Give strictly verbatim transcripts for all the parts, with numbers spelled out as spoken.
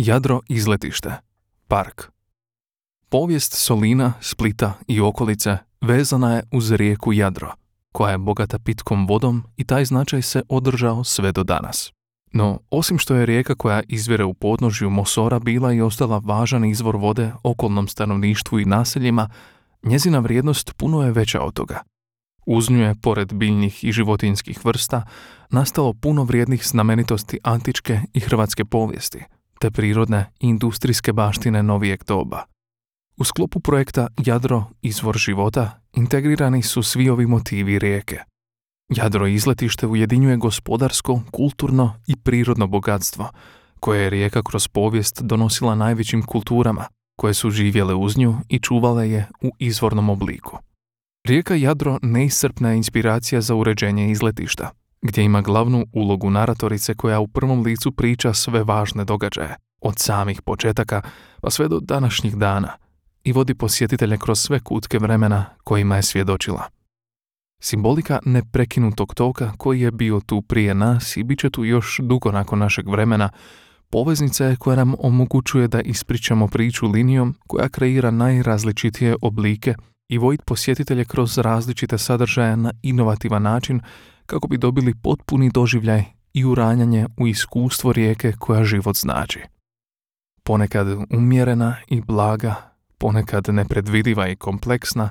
Jadro izletište, park. Povijest Solina, Splita i okolice vezana je uz rijeku Jadro, koja je bogata pitkom vodom i taj značaj se održao sve do danas. No, osim što je rijeka koja izvire u podnožju Mosora bila i ostala važan izvor vode okolnom stanovništvu i naseljima, njezina vrijednost puno je veća od toga. Uz nju je, pored biljnih i životinjskih vrsta, nastalo puno vrijednih znamenitosti antičke i hrvatske povijesti, te prirodne i industrijske baštine novijeg doba. U sklopu projekta Jadro, izvor života, integrirani su svi ovi motivi rijeke. Jadro izletište ujedinjuje gospodarsko, kulturno i prirodno bogatstvo, koje je rijeka kroz povijest donosila najvećim kulturama, koje su živjele uz nju i čuvale je u izvornom obliku. Rijeka Jadro neiscrpna je inspiracija za uređenje izletišta, gdje ima glavnu ulogu naratorice koja u prvom licu priča sve važne događaje, od samih početaka pa sve do današnjih dana, i vodi posjetitelje kroz sve kutke vremena kojima je svjedočila. Simbolika neprekinutog toka koji je bio tu prije nas i bit će tu još dugo nakon našeg vremena, poveznica je koja nam omogućuje da ispričamo priču linijom koja kreira najrazličitije oblike i voditi posjetitelje kroz različite sadržaje na inovativan način kako bi dobili potpuni doživljaj i uranjanje u iskustvo rijeke koja život znači. Ponekad umjerena i blaga, ponekad nepredvidiva i kompleksna,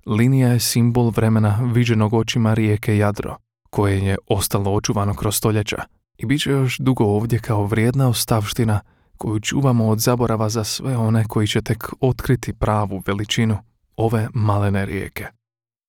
linija je simbol vremena viđenog očima rijeke Jadro, koje je ostalo očuvano kroz stoljeća i bit će još dugo ovdje kao vrijedna ostavština koju čuvamo od zaborava za sve one koji će tek otkriti pravu veličinu ove malene rijeke.